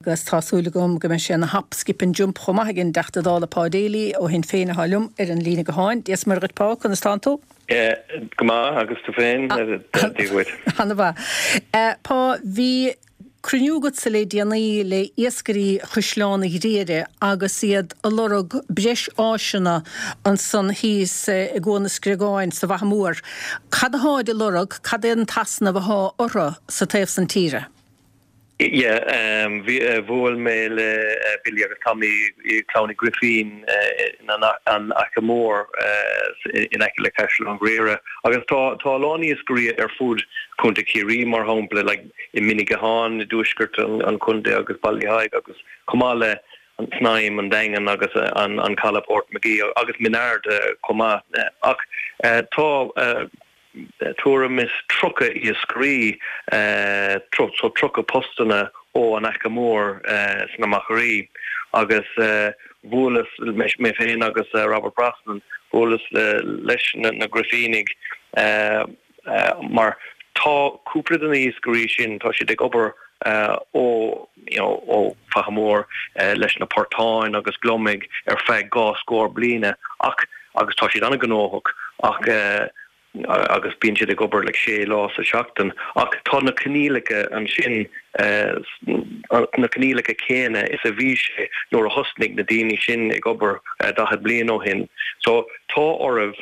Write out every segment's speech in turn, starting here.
agus tá súil agam go mbeidh sé ina hop, skip and jump chomh maith ag an dTeachta Dála Pa Daly ó Shinn Féin atá liom ar an líne gutháin. Dia 's Muire dhuit Pa, conas tánn tú? Go maith, agus tú féin? Dia dhuit. Ana mhaith. Pa, bhí cruinniú agatsa le déanaí le iascairí Chaisleán an Ghriaire agus iad ag lorg breis áiseanna ansan thíos i gCuan na Screagáin sa bhFaiche Mhór. Cad atáid ag lorg, cad é an t-easnamh athá orthu sa taobh san tíre? Yeah, bhí, bhuail mé le Billy agus Tommy i Clann Uí Ghrifín in An Fhaiche Mhór in aice le Caisleán an Ghriaire agus tá tá a lán iascairí ar fud Chontae Chiarraí mar shampla like i Mín Uí Chatháin i dtuaisceart an chontae agus Baile Thaidhg agus chomh maith le an tSnaidhm, an Daingean agus an Caladh Port Magee agus Mín Aird chomh maith. Ach tá tuairim is 30 iascairí, so 30 postanna ó an Fhaiche Mhór sna Machairí agus bhuaileas, mé féin agus Robert Brosnan, bhuaileas leis na Grifínigh mar tá cúpla de na hiascairí sin, tá siad ag obair ó you know ó Faiche Mhór leis na portáin agus gliomaigh ar feadh dhá scór bliana ach agus tá siad an-ghnóthach ach agus bíonn siad ag obair like sé lá sa seachtain ach tá na coinníollacha ansin na coinníollacha céanna is a bhí sé nuair a thosnaigh na daoine sin ag obair 40 bliain ó shin so tá oraibh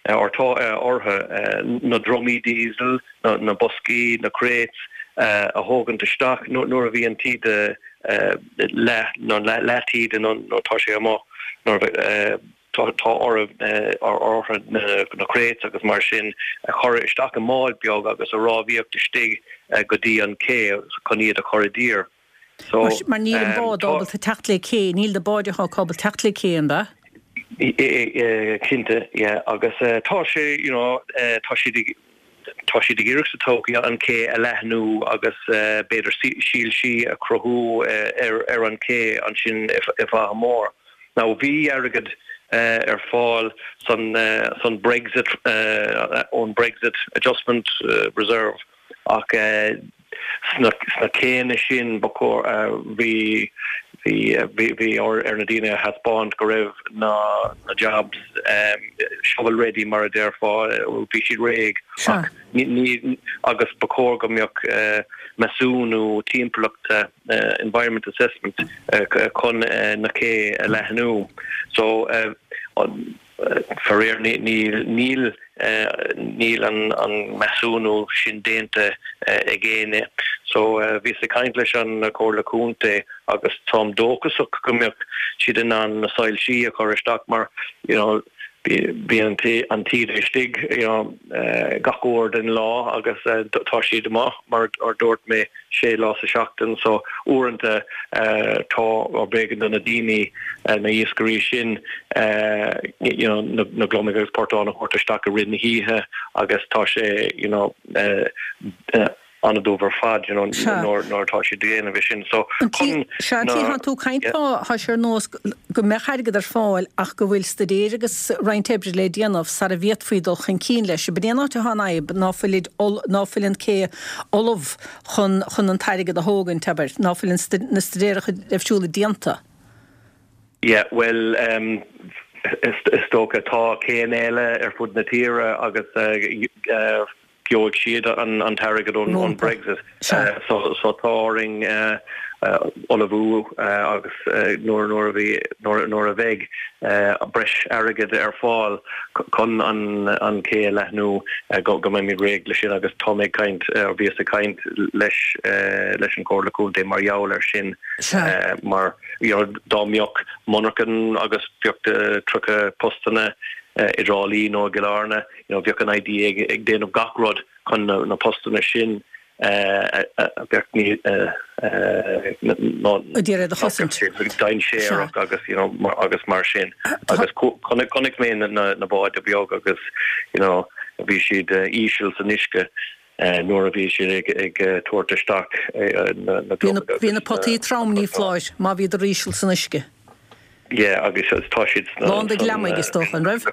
or tá orthu na drumaí diesel, na boscaí, na crates a thógaint isteach nuair a bhí an taoide leath nó leath taoide nó tá sé amuigh nuair tá orthu na crates agus mar sin a chur isteach i mbád beag agus a rámhaíocht istigh go dtí an cé chun iad a chur i dtír. So, Mar níl an bád ábalta teacht le cé, níl na báid atá acu ábalta teacht le cé, an ea? Cinnte, yeah, agus tá sé, you know, tá siad ag, tá siad ag iarraidh sa todhchaí an cé a leathnú agus b'fhéidir soilsí a chruthú ar ar an ché ansin i bhFaiche Mhór. Now bhí airgead ar fáil san san Brexit, ón Brexit Adjustment Reserve ach Sna céanna sin, ba chóir, bhí, bhí, bhí ar na daoine a thaispeáint go raibh na jobs shovel ready mar a déarfá, bhí siad réidh ach ní, agus ba chóir go mbeadh measúnú timpeallachta, environment assessment, chun na cé a leathnú. So, Faraor, níl níl an measúnú sin déanta ag éinne. So, bhíos ag caint leis an Chomhairle Contae agus táim dóchasach go mbeadh siad in ann na soilsí a chur isteach mar, you know, bíonn an taoide istigh, you know, gach uair den lá agus tá siad amuigh, mar a dúirt mé. sé lá sa seachtain so uaireanta tá or b'éigean do na daoine, na iascairí sin you know na gliomaigh agus portáin a thabhairt isteach i rith na hoíche agus tá sé you know an-dubh ar fad you know nuair nuair atá siad ag déanamh é sin so chun Sea, an tslí atá tú ag caint tá tá sé ar nós go mbeadh airgead ar fáil ach go bhfuil staidéir agus roinnt oibre le déanamh sara bhféadfaí dul chun cinn leis. Ab in é an áit atá an fhadhb ná fuilid ná fuil an cé ullamh chun chun an t-airgead a thógaint, abair, ná fuil an na staidéaracha deimhsiúla déanta. Yeah, bhuel, is dócha tá céanna eile ar fud na tíre agus gheobhaidh siad an t-airgead ón Brexit. So so tá orainn ullmhú agus nuair nuair a bhí nuair nuair a bheidh breis airgid ar fáil chun an an cé a leathnú go go mbeimid réidh leis sin agus tá mé ag caint bhíos ag caint leis leis an Chomhairle Contae mar gheall air sin mar you know dá mbeadh monarchan agus bheadh 30 postanna i dTrá Lí nó i gCill Airne you know bheadh an IDA ag ag déanamh gach rud chun na na postanna sin a bheadh ní ag iarraidh a chosaint. dainséarach agus you know agus mar sin agus chonaic chonaic mé na na na báid beag agus you know bhí siad íseal san uisce nuair a bhí siad ag ag tabhairt isteach na na gliomaigh Bhí na potaí trom ní foláir má bhíodar íseal san uisce. Yeah agus tá siad sna Lán de gliomaigh is dócha, an raibh?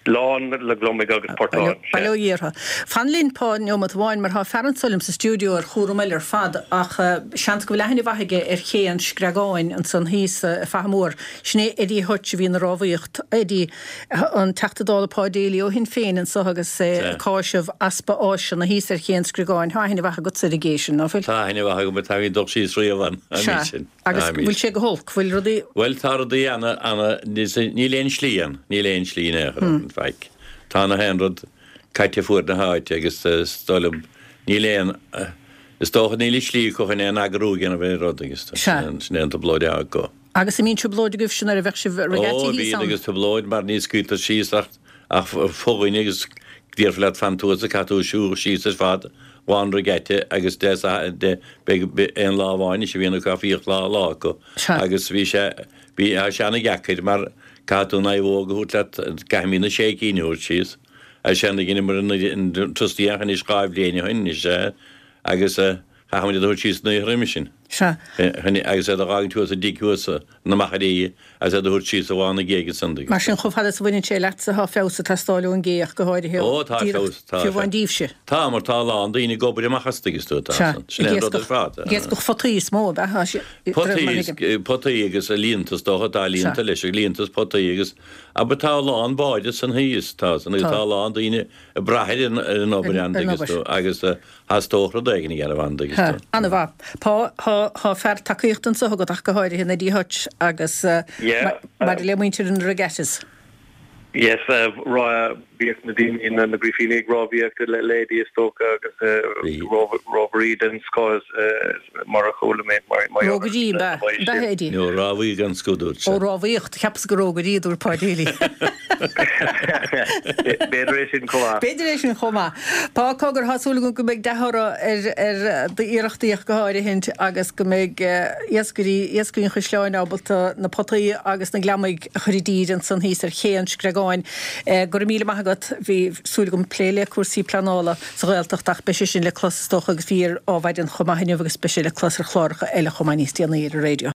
Lán le gliomaigh agus portáin, sea. Bail ó Dhia orthu. Fan linn, Pa, neomat amháin, mar tá fear anso liom sa stiúideo ar chúram eile ar fad, ach seans go bhfuil aithne mhaith aige ar Ché an Screagáin ansan thíos i Faiche Mór. Sin é Eddie Hutch a bhí ina rámhaíocht. Eddie, an Teachta Dála Pa Daly ó Shinn Féin anso agus é ag cáiseamh easpa áiseanna thíos ar Ché an Screagáin. Tá aithne mhaith agatsa ar an gcé sin, ná fuil? Tá aithne mhaith agam, tá mé ag dul síos riamh ann, an Sea. sin. Agus bhfuil sé go holc? Bhfuil rudaí. Bhuel, tá rudaí ana, ana, níl aon slí ann, níl aon slí in aon chor ann, faic. Tá na haon rud caite fuaid na háite agus is dóigh liom, níl aon, is dócha níl an slí acu chun aon eagrú a dhéanamh ar an rud agus sin é an trioblóid atá acu. Agus an mbíonn trioblóid agaibhse nuair a bheadh sibh regatta thíos ann? Ó, bíonn agus trioblóid mar ní scaoiltear síos ach Ach fo-dhuine agus déarfá leat fan thuas a caithfidh tú siúl síos ar fad lá an regatta agus de de beidh aon lá amháin is a bhíonn acu ach bhíodh lá lá acu agus bhí sé bhí tá sé ana-dheacair mar caithfidh tú an naomhóg a thabhairt leat caithfimid na sé cinn a thabhairt síos agus sé na dheineamar an trustee anois 2 bhliain ó shin anois agus Chaithfimid iad a thabhairt síos an oíche roimhe sin. Sea. Agus iad a dh'fhágaint thuas i dtigh thuas na Machairí agus iad a thabhairt síos i bhFána Géag ansan. Mar sin, chomh fada is a bhaineann sé leatsa, tá feabhas ag teastáil ón gcé ach go háirithe, Ó, tá feabhas, tá. fiú amháin díbhse. Tá, mar tá a lán daoine ag obair amach as, tuigeann tú, tá. Sea. Sin é an rud ar fad. Ag iascach potaí is mó, ab ea? Tá sé, Potaí, potaí agus líonta is dócha, tá líonta leis, líonta is potaí agus, abair tá a lán báid ansan thíos, tá, san, agus tá a lán daoine ag brath ar an obair ann, tuigeann tú, agus, Theastódh rud éigin a dhéanamh ann, tuigeann tú. Ana-mhaith. Pá, thá, thá fear tacaíochta anso agat ach go háirithe in Eddie Hutch agus maidir le muintir na regattas. Yes, bhíodh na daoine, na Grifíní ag rámhaíocht le Eddie is dócha agus rámhairí den scoth mar a chuala mé. Rógairí, ab ea? Ab ea, Eddie? No, rámhaí den scoth dúirt sé. Ó, rámhaíocht, cheapas gur rógairí a dúirt Pá Daly. B'fhéidir é sin chomh maith. B'fhéidir é sin chomh maith. Pá, cogar, tá súil agam go mbeidh dea-thoradh ar d'iarrachtaí ach go háirithint agus go mbeidh iascairí, iascairí an Chaisleáin ábalta na potaí agus na gliomaigh a chur i dtír ansan thíos ar Ché an Screagáin. Go raibh míle maith agat. Bhí súil agam plé le cúrsaí pleanála sa Ghaeltacht ach beidh sé sin le clos is dócha agus bhí ar Ádhmhaidin chomh maith inniu agus beidh sé le clos ar chláracha eile chomh maith níos déanaí ar an raidió.